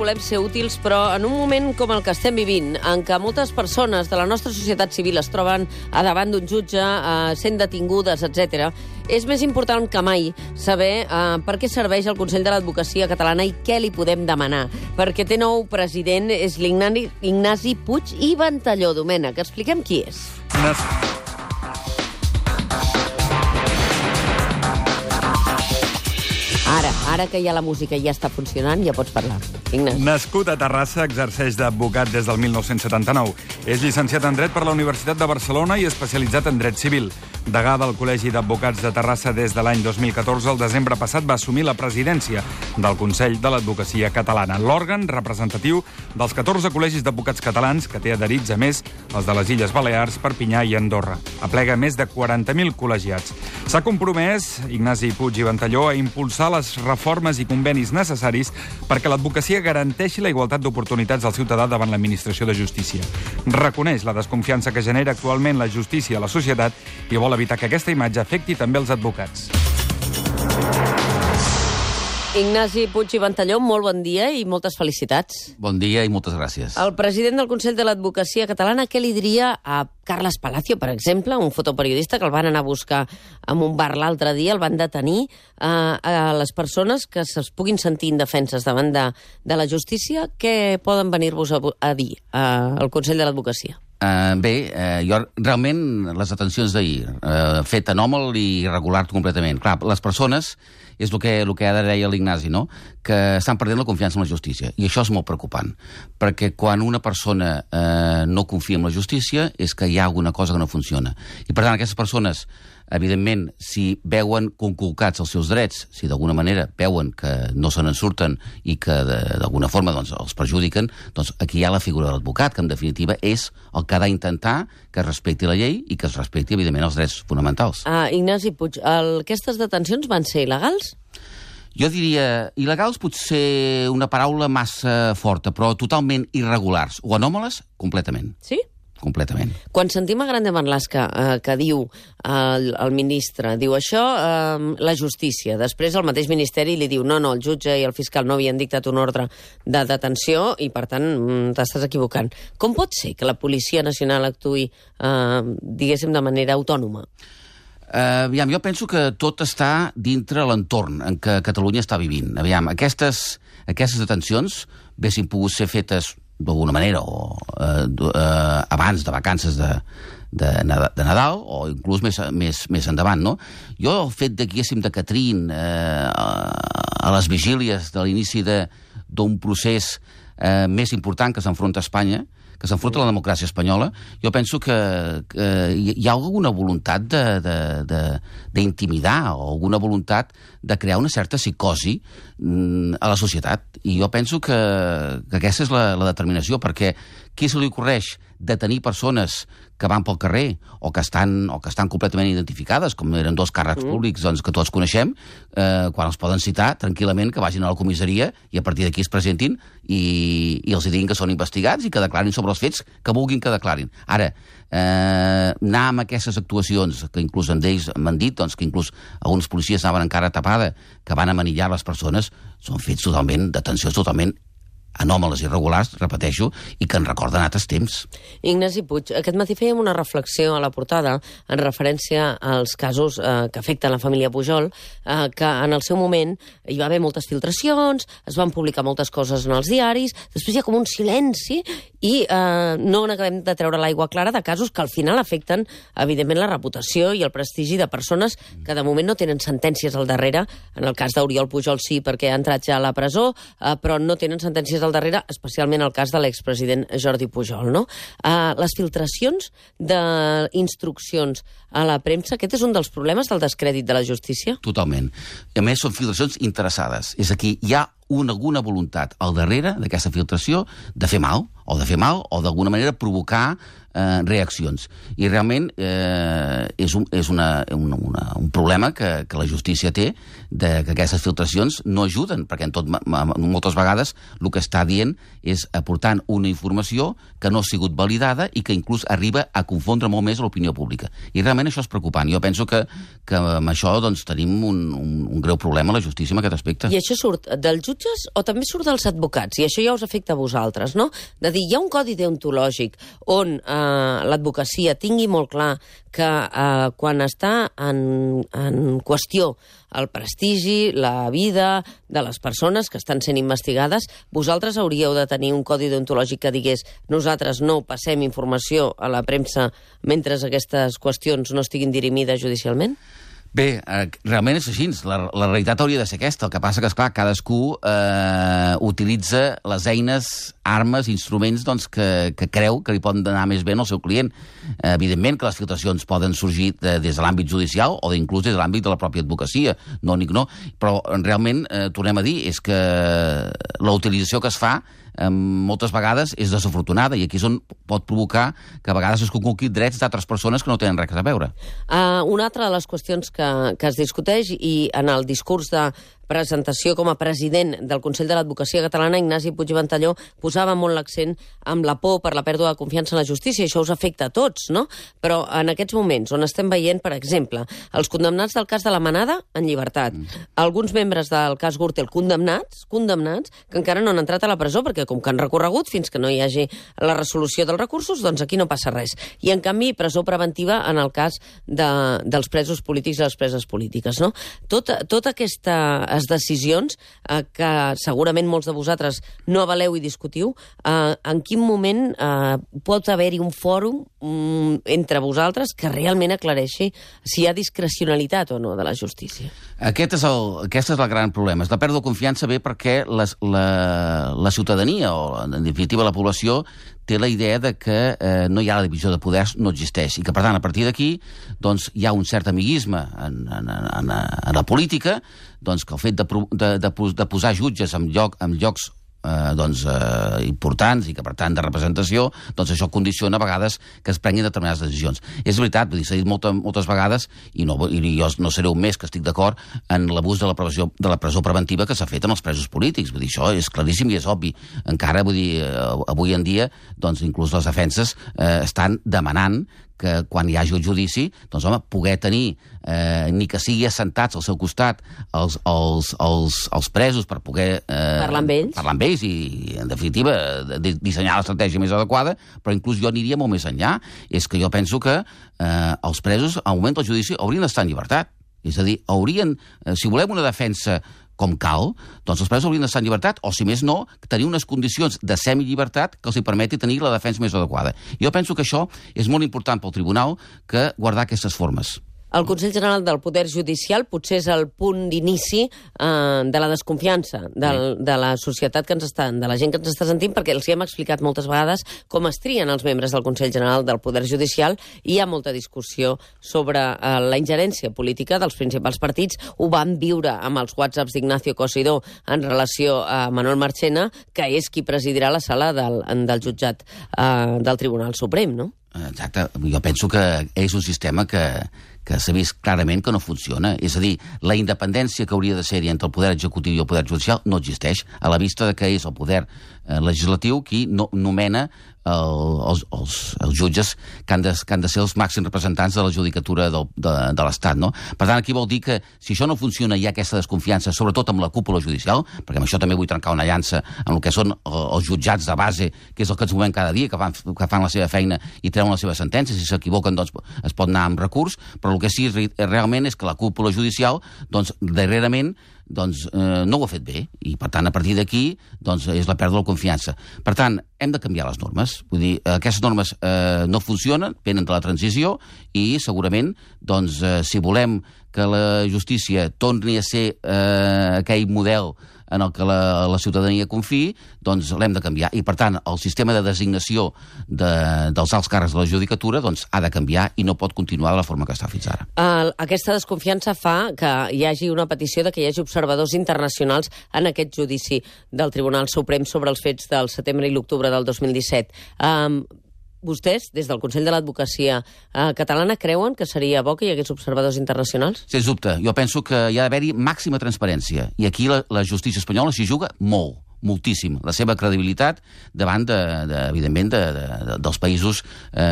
volem ser útils, però en un moment com el que estem vivint, en què moltes persones de la nostra societat civil es troben a davant d'un jutge, sent detingudes, etc., és més important que mai saber per què serveix el Consell de l'Advocacia Catalana i què li podem demanar. Perquè té nou president, és l'Ignasi Puig i Ventalló. Domènec, expliquem qui és. Ara que hi ha la música i ja està funcionant, ja pots parlar. Ignasi. Nascut a Terrassa, exerceix d'advocat des del 1979. És llicenciat en Dret per la Universitat de Barcelona i especialitzat en Dret Civil. Degà del Col·legi d'Advocats de Terrassa des de l'any 2014, el desembre passat va assumir la presidència del Consell de l'Advocacia Catalana, l'òrgan representatiu dels 14 col·legis d'advocats catalans que té adherits, a més, els de les Illes Balears, Perpinyà i Andorra. Aplega més de 40.000 col·legiats. S'ha compromès, Ignasi Puig i Ventalló, a impulsar les reformes i convenis necessaris perquè l'advocacia garanteixi la igualtat d'oportunitats del ciutadà davant l'administració de justícia. Reconeix la desconfiança que genera actualment la justícia a la societat i vol evitar que aquesta imatge afecti també els advocats. Ignasi Puig i Ventalló, molt bon dia i moltes felicitats. Bon dia i moltes gràcies. El president del Consell de l'Advocacia Catalana, què li diria a Carles Palacio, per exemple, un fotoperiodista que el van anar a buscar en un bar l'altre dia, el van detenir, a les persones que es puguin sentir indefenses davant de la justícia? Què poden venir-vos a dir al Consell de l'Advocacia? Jo realment les detencions d'ahir, fet anòmal i irregular completament. Clar, les persones, és el que ara deia l'Ignasi, no? Que estan perdent la confiança en la justícia. I això és molt preocupant, perquè quan una persona no confia en la justícia és que hi ha alguna cosa que no funciona. I per tant, aquestes persones, evidentment, si veuen conculcats els seus drets, si d'alguna manera veuen que no se n'en surten i que d'alguna forma els perjudiquen, doncs aquí hi ha la figura de l'advocat, que en definitiva és el que ha d'intentar que es respecti la llei i que es respecti, evidentment, els drets fonamentals. Ignasi Puig, aquestes detencions van ser il·legals? Jo diria, il·legals pot ser una paraula massa forta, però totalment irregulars o anòmales, completament. Sí? Completament. Quan sentim a Grande Marlaska que diu el ministre, diu això, la justícia, després el mateix ministeri li diu no, el jutge i el fiscal no havien dictat un ordre de detenció i, per tant, t'estàs equivocant. Com pot ser que la Policia Nacional actuï, diguéssim, de manera autònoma? Jo penso que tot està dintre l'entorn en què Catalunya està vivint. Aquestes detencions haguessin pogut ser fetes d'alguna manera o abans de vacances de Nadal o inclús més endavant, no? Jo el fet de que haguéssim de Catrín a les vigílies de l'inici d'un procés més important que s'enfronta a Espanya, que s'enfronta a la democràcia espanyola, jo penso que hi ha alguna voluntat d'intimidar o alguna voluntat de crear una certa psicosi a la societat. I jo penso que aquesta és la determinació, perquè qui se li ocorreix detenir persones que van pel carrer o que estan completament identificades, com eren dos càrrecs públics que tots coneixem, quan els poden citar tranquil·lament que vagin a la comissaria i a partir d'aquí es presentin i els diguin que són investigats i que declarin sobre els fets que vulguin que declarin. Ara, anar amb aquestes actuacions, que inclús d'ells m'han dit que inclús alguns policies anaven encara tapada, que van amanillar les persones, són fets totalment, detencions totalment anòmales i irregulars, repeteixo, i que en recorden altres temps. Ignasi Puig, aquest matí fèiem una reflexió a la portada en referència als casos que afecten la família Pujol, que en el seu moment hi va haver moltes filtracions, es van publicar moltes coses en els diaris, després hi ha com un silenci i no n'acabem de treure l'aigua clara de casos que al final afecten, evidentment, la reputació i el prestigi de persones que de moment no tenen sentències al darrere. En el cas d'Oriol Pujol sí, perquè ha entrat ja a la presó, però no tenen sentències al darrere, especialment el cas de l'expresident Jordi Pujol, no? Les filtracions d'instruccions a la premsa, aquest és un dels problemes del descrèdit de la justícia? Totalment. A més, són filtracions interessades. És aquí, hi ha alguna voluntat al darrere d'aquesta filtració de fer mal, o d'alguna manera provocar reaccions. I realment és un problema que la justícia té, que aquestes filtracions no ajuden, perquè moltes vegades el que està dient és aportant una informació que no ha sigut validada i que inclús arriba a confondre molt més l'opinió pública. I realment això és preocupant. Jo penso que amb això tenim un greu problema a la justícia en aquest aspecte. I això surt dels jutges o també surt dels advocats? I això ja us afecta a vosaltres, no? De dir, hi ha un codi deontològic on l'advocacia tingui molt clar que quan està en qüestió el prestigi, la vida de les persones que estan sent investigades, vosaltres hauríeu de tenir un codi deontològic que digués nosaltres no passem informació a la premsa mentre aquestes qüestions no estiguin dirimides judicialment? Bé, realment és així. La realitat hauria de ser aquesta. El que passa que, esclar, cadascú utilitza les eines, armes, instruments que creu que li poden anar més bé al seu client. Evidentment que les filtracions poden sorgir des de l'àmbit judicial o inclús des de l'àmbit de la pròpia advocacia. No, però realment, tornem a dir, és que la utilització que es fa moltes vegades és desafortunada i aquí és on pot provocar que a vegades es conculquin drets d'altres persones que no tenen res a veure. Una altra de les qüestions que es discuteix i en el discurs de presentació com a president del Consell de l'Advocacia Catalana, Ignasi Puig i Ventalló posava molt l'accent amb la por per la pèrdua de confiança en la justícia, i això us afecta a tots, no? Però en aquests moments on estem veient, per exemple, els condemnats del cas de la Manada en llibertat, alguns membres del cas Gürtel condemnats, que encara no han entrat a la presó, perquè com que han recorregut fins que no hi hagi la resolució dels recursos, doncs aquí no passa res. I en canvi, presó preventiva en el cas dels presos polítics i les preses polítiques, no? Tota aquestes decisions que segurament molts de vosaltres no avaleu i discutiu, en quin moment pot haver-hi un fòrum entre vosaltres que realment aclareixi si hi ha discrecionalitat o no de la justícia? Aquest és el gran problema. La pèrdua de confiança ve perquè la ciutadania, o en definitiva la població, té la idea de que no hi ha la divisió de poders, no existeix, i que, per tant, a partir d'aquí hi ha un cert amiguisme en la política, que el fet de posar jutges en llocs importants i que, per tant, de representació, això condiciona a vegades que es prenguin determinades decisions. És veritat, s'ha dit moltes vegades, i jo no seré un més que estic d'acord en l'abús de la presó preventiva que s'ha fet amb els presos polítics. Vull dir, això és claríssim i és obvi. Encara, avui en dia, inclús les defenses estan demanant que quan hi hagi un judici, poder tenir, ni que sigui assentats al seu costat, els presos per poder parlar amb ells i, en definitiva, dissenyar l'estratègia més adequada, però inclús jo aniria molt més enllà. És que jo penso que els presos, al moment del judici, haurien d'estar en llibertat. És a dir, si volem una defensa com cal, els presos haurien d'estar en llibertat, o, si més no, tenir unes condicions de semillibertat que els permeti tenir la defensa més adequada. Jo penso que això és molt important pel tribunal, que guardar aquestes formes. El Consell General del Poder Judicial potser és el punt d'inici de la desconfiança de la societat de la gent que ens està sentint, perquè els hi hem explicat moltes vegades com es trien els membres del Consell General del Poder Judicial, i hi ha molta discussió sobre la ingerència política dels principals partits. Ho vam viure amb els whatsapps d'Ignacio Cosidó en relació a Manuel Marchena, que és qui presidirà la sala del jutjat del Tribunal Suprem, no? Exacte. Jo penso que és un sistema que s'ha vist clarament que no funciona. És a dir, la independència que hauria de ser-hi entre el poder executiu i el poder judicial no existeix, a la vista que és el poder legislatiu qui nomena els jutges que han de ser els màxims representants de la judicatura de l'Estat, no? Per tant, aquí vol dir que si això no funciona, hi ha aquesta desconfiança, sobretot amb la cúpula judicial, perquè amb això també vull trencar una llança amb el que són els jutjats de base, que és el que ens movem cada dia, que fan la seva feina i treuen les seves sentències. Si s'equivoquen, es pot anar amb recurs, però el que sí realment és que la cúpula judicial, darrerament, no ho ha fet bé, i per tant a partir d'aquí és la pèrdua de confiança. Per tant, hem de canviar les normes. Vull dir, aquestes normes no funcionen, venen de la transició, i segurament si volem que la justícia torni a ser aquell model en el que la ciutadania confiï, l'hem de canviar. I, per tant, el sistema de designació dels alts càrrecs de la judicatura ha de canviar i no pot continuar de la forma que està fins ara. Aquesta desconfiança fa que hi hagi una petició de que hi hagi observadors internacionals en aquest judici del Tribunal Suprem sobre els fets del setembre i l'octubre del 2017. vostès, des del Consell de l'Advocacia Catalana, creuen que seria bo que hi hagués observadors internacionals? Sens dubte. Jo penso que hi ha d'haver-hi màxima transparència. I aquí la justícia espanyola s'hi juga molt, moltíssim. La seva credibilitat davant, evidentment, dels països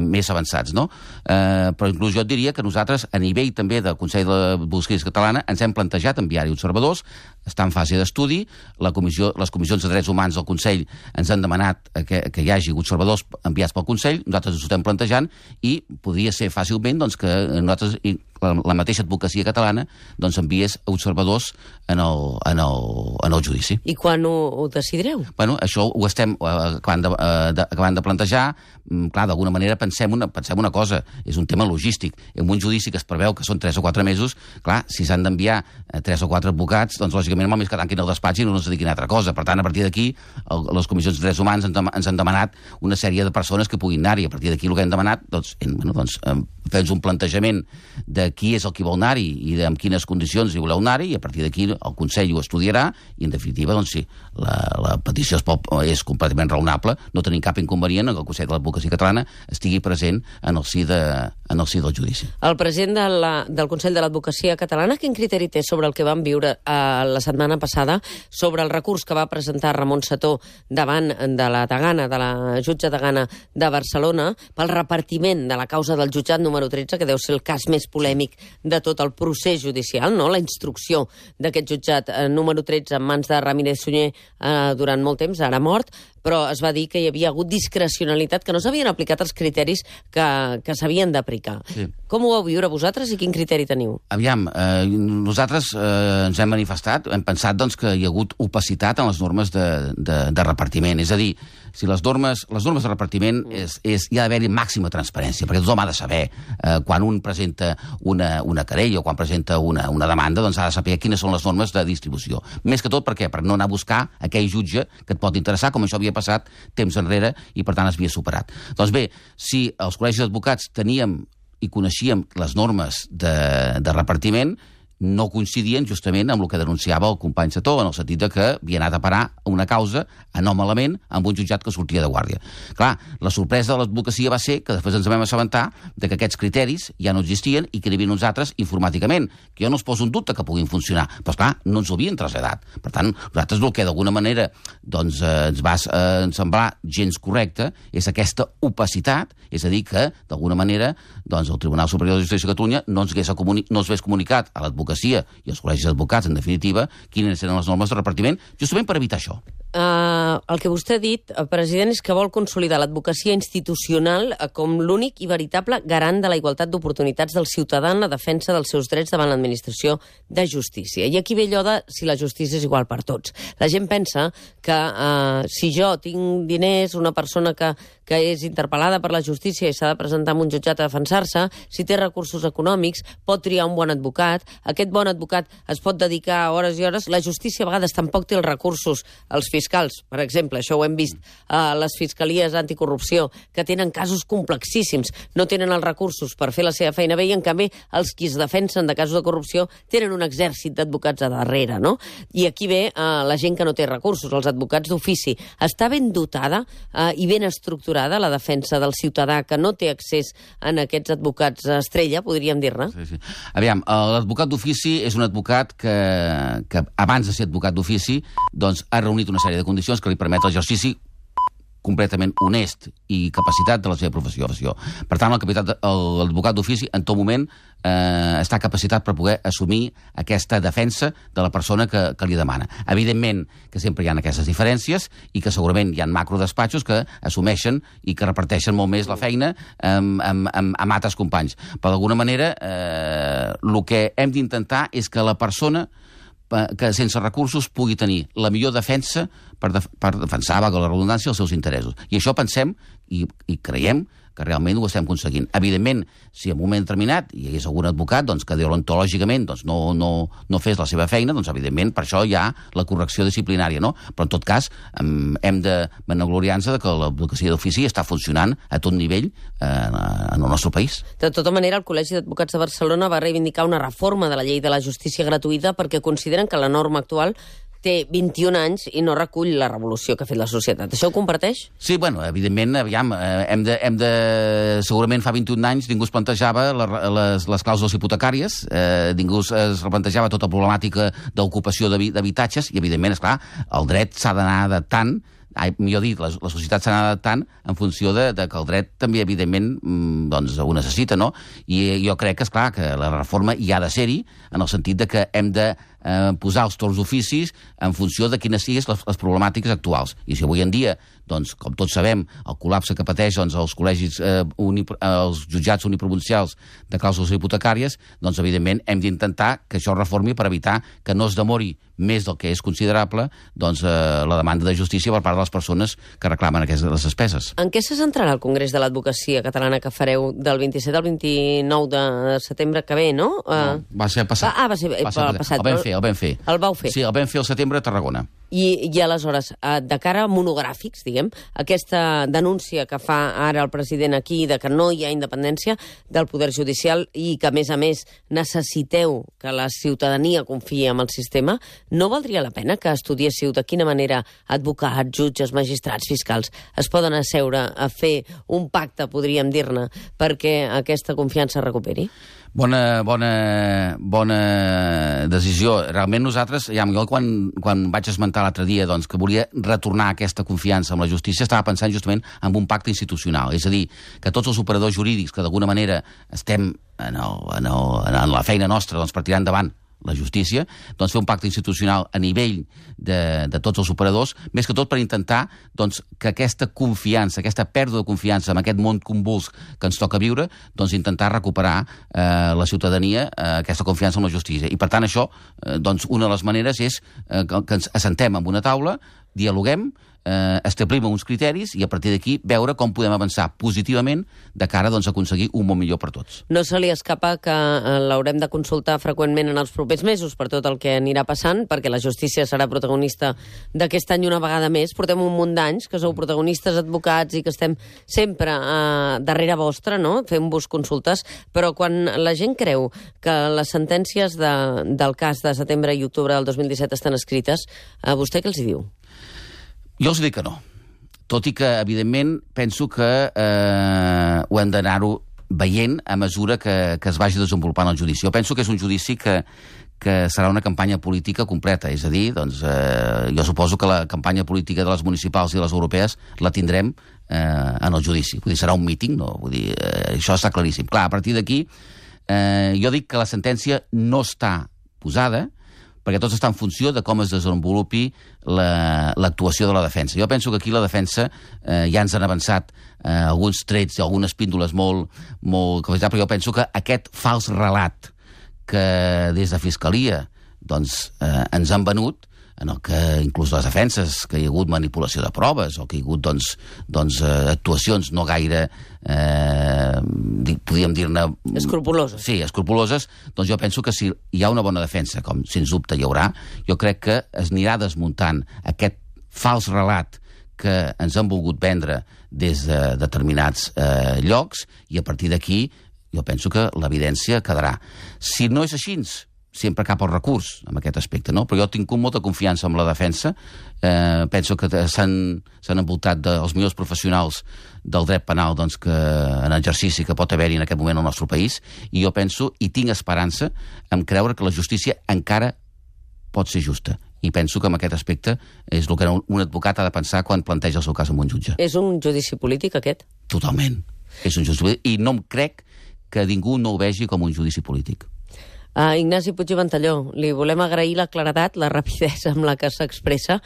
més avançats, no? Però inclús jo et diria que nosaltres, a nivell també del Consell de l'Advocacia Catalana, ens hem plantejat enviar-hi observadors, està en fase d'estudi, les comissions de drets humans del Consell ens han demanat que hi hagi observadors enviats pel Consell, nosaltres ens ho estem plantejant, i podria ser fàcilment doncs, que nosaltres, la mateixa advocacia catalana, doncs enviés observadors en el judici. I quan ho decidireu? Bueno, això ho estem acabant de plantejar. Clar, d'alguna manera pensem una cosa, és un tema logístic. En un judici que es preveu que són 3 o 4 mesos, clar, si s'han d'enviar 3 o 4 advocats, doncs lògicament només que tanquin el despatx i no ens dediquin a altra cosa. Per tant, a partir d'aquí, les comissions de drets humans ens han demanat una sèrie de persones que puguin anar-hi. A partir d'aquí el que hem demanat, fer-nos un plantejament de qui és el que vol anar-hi i en quines condicions hi voleu anar-hi, i a partir d'aquí el Consell ho estudiarà, i en definitiva, doncs sí, la petició és completament raonable, no tenim cap inconvenient que el Consell de l'Advocacia Catalana estigui present en el si del judici. El president del Consell de l'Advocacia Catalana, quin criteri té sobre el que vam viure la setmana passada, sobre el recurs que va presentar Ramon Setó davant de la degana, de la jutge degana de Barcelona, pel repartiment de la causa del jutjat número 13, que deu ser el cas més polèmic de tot el procés judicial, no? La instrucció d'aquest jutjat número 13 en mans de Ramírez Sunyer durant molt temps, ara mort, però es va dir que hi havia hagut discrecionalitat, que no s'havien aplicat els criteris que s'havien d'aplicar. Sí. Com ho vau viure vosaltres i quin criteri teniu? Aviam, nosaltres ens hem manifestat, hem pensat doncs, que hi ha hagut opacitat en les normes de repartiment. És a dir, si les normes de repartiment hi ha d'haver-hi màxima transparència, perquè tothom ha de saber quan un presenta una querella o quan presenta una demanda, doncs ha de saber quines són les normes de distribució. Més que tot, per què? Per no anar a buscar aquell jutge que et pot interessar, com això havia passat temps enrere i per tant es havia superat. Doncs bé, si els col·legis d'advocats teníem i coneixíem les normes de repartiment, no coincidien justament amb el que denunciava el company Setó, en el sentit que havia anat a parar una causa anòmalament amb un jutjat que sortia de guàrdia. Clar, la sorpresa de l'advocacia va ser que després ens vam assabentar de que aquests criteris ja no existien i que n'hi havia uns altres informàticament, que jo no els poso en dubte que puguin funcionar, però esclar, no ens ho havien traslladat. Per tant, nosaltres el que d'alguna manera doncs, ens va semblar gens correcte és aquesta opacitat, és a dir, que d'alguna manera doncs, el Tribunal Superior de Justícia de Catalunya no ens hagués comunicat a l'advocacia i els col·legis d'advocats, en definitiva, quines eren les normes de repartiment, justament per evitar això. El que vostè ha dit, president, és que vol consolidar l'advocacia institucional com l'únic i veritable garant de la igualtat d'oportunitats del ciutadà en la defensa dels seus drets davant l'administració de justícia. I aquí ve allò de si la justícia és igual per tots. La gent pensa que si jo tinc diners, una persona que és interpel·lada per la justícia i s'ha de presentar en un jutjat a defensar-se, si té recursos econòmics, pot triar un bon advocat, aquest bon advocat es pot dedicar hores i hores, la justícia a vegades tampoc té els recursos, els fiscals, per exemple, això ho hem vist a les fiscalies anticorrupció, que tenen casos complexíssims, no tenen els recursos per fer la seva feina bé, i en canvi els qui es defensen de casos de corrupció tenen un exèrcit d'advocats a darrere, no? I aquí ve la gent que no té recursos, els advocats d'ofici. Està ben dotada i ben estructurada la defensa del ciutadà que no té accés a aquests advocats estrella, podríem dir-ne? Sí. Aviam, l'advocat d'ofici és un advocat que abans de ser advocat d'ofici doncs, ha reunit una sèrie de condicions que li permet l'exercici completament honest i capacitat de la seva professió. Per tant, l'advocat d'ofici en tot moment està capacitat per poder assumir aquesta defensa de la persona que li demana. Evidentment que sempre hi ha aquestes diferències i que segurament hi ha macrodespatxos que assumeixen i que reparteixen molt més la feina amb altres companys. Però d'alguna manera el que hem d'intentar és que la persona que sense recursos pugui tenir la millor defensa per defensar, valga la redundància, els seus interessos. I això pensem i creiem que realment ho estem aconseguint. Evidentment, si en un moment determinat hi hagués algun advocat doncs, que deontològicament doncs, no fes la seva feina, doncs evidentment per això hi ha la correcció disciplinària, no? Però en tot cas hem de vanagloriar-nos de que l'advocacia d'ofici està funcionant a tot nivell en el nostre país. De tota manera, el Col·legi d'Advocats de Barcelona va reivindicar una reforma de la llei de la justícia gratuïta perquè consideren que la norma actual té 21 anys i no recull la revolució que ha fet la societat. Això ho comparteix? Sí, bueno, evidentment, aviam, segurament fa 21 anys ningú es plantejava les clàusules hipotecàries, ningú es replantejava tota la problemàtica d'ocupació d'habitatges, i evidentment, esclar, el dret s'ha d'anar adaptant, millor dit, la societat s'ha d'anar adaptant en funció de que el dret també, evidentment, doncs, ho necessita, no? I jo crec que, esclar, que la reforma hi ha de ser-hi, en el sentit de que hem de posar els torns d'oficis en funció de quines siguin les problemàtiques actuals. I si avui en dia, doncs, com tots sabem, el col·lapse que pateix els col·legis, els jutjats uniprovincials de clàusules hipotecàries, doncs, evidentment, hem d'intentar que això es reformi per evitar que no es demori més del que és considerable, doncs, la demanda de justícia per part de les persones que reclamen aquestes despeses. En què se centrarà el Congrés de l'Advocacia Catalana que fareu del 27 al 29 de setembre que ve, no? No, va ser passat. Va ser passat. El vam fer. El vau fer. Sí, el vam fer al setembre a Tarragona. I aleshores, de cara a monogràfics, diguem, aquesta denúncia que fa ara el president aquí de que no hi ha independència del poder judicial i que, a més, necessiteu que la ciutadania confiï en el sistema, no valdria la pena que estudiéssiu de quina manera advocats, jutges, magistrats, fiscals es poden asseure a fer un pacte, podríem dir-ne, perquè aquesta confiança es recuperi? Bona decisió. Realment nosaltres, jo quan vaig esmentar l'altre dia doncs, que volia retornar aquesta confiança amb la justícia, estava pensant justament en un pacte institucional. És a dir, que tots els operadors jurídics que d'alguna manera estem en la feina nostra doncs, per tirar endavant la justícia, doncs fer un pacte institucional a nivell de tots els operadors, més que tot per intentar doncs, que aquesta confiança, aquesta pèrdua de confiança en aquest món convuls que ens toca viure, doncs intentar recuperar la ciutadania aquesta confiança en la justícia. I per tant això, doncs una de les maneres és que ens assentem en una taula, dialoguem, establim uns criteris i a partir d'aquí veure com podem avançar positivament de cara doncs, a aconseguir un món millor per tots. No se li escapa que l'haurem de consultar freqüentment en els propers mesos per tot el que anirà passant, perquè la justícia serà protagonista d'aquest any una vegada més. Portem un munt d'anys que sou protagonistes, advocats, i que estem sempre darrere vostra, no? Fent-vos consultes, però quan la gent creu que les sentències del cas de setembre i octubre del 2017 estan escrites, a vostè què els hi diu? Jo els dic que no. Tot i que, evidentment, penso que ho hem d'anar-ho veient a mesura que es vagi desenvolupant el judici. Jo penso que és un judici que serà una campanya política completa. És a dir, doncs, jo suposo que la campanya política de les municipals i les europees la tindrem en el judici. Vull dir, serà un míting, no? Vull dir, això està claríssim. Clar, a partir d'aquí, jo dic que la sentència no està posada, perquè tot està en funció de com es desenvolupi l'actuació de la defensa. Jo penso que aquí la defensa ja ens han avançat alguns trets i algunes píndoles molt però jo penso que aquest fals relat que des de Fiscalia doncs, ens han venut, en el que inclús les defenses, que hi ha hagut manipulació de proves o que hi ha hagut doncs, actuacions no gaire, podríem dir-ne... Escrupuloses. Sí, escrupuloses. Doncs jo penso que si hi ha una bona defensa, com sens dubte hi haurà, jo crec que es anirà desmuntant aquest fals relat que ens han volgut vendre des de determinats llocs i a partir d'aquí jo penso que l'evidència quedarà. Si no és així, sempre cap al recurs en aquest aspecte, no? Però jo tinc molta confiança en la defensa, penso que s'han envoltat dels millors professionals del dret penal doncs, que en exercici que pot haver-hi en aquest moment al nostre país, i jo penso i tinc esperança en creure que la justícia encara pot ser justa. I penso que en aquest aspecte és el que un advocat ha de pensar quan planteja el seu cas amb un jutge. És un judici polític, aquest? Totalment. És un judici polític, i no em crec que ningú no ho vegi com un judici polític. Ignasi Puig i Ventalló, li volem agrair la claredat, la rapidesa amb la que s'expressa.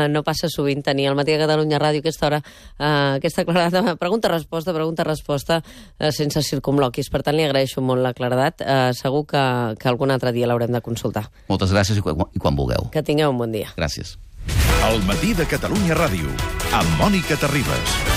No passa sovint tenir al Matí de Catalunya Ràdio aquesta hora, aquesta claredat, pregunta-resposta, sense circumloquis. Per tant, li agraeixo molt la claredat. Segur que algun altre dia l'haurem de consultar. Moltes gràcies i quan vulgueu. Que tingueu un bon dia. Gràcies. El Matí de Catalunya Ràdio, amb Mònica Terribas.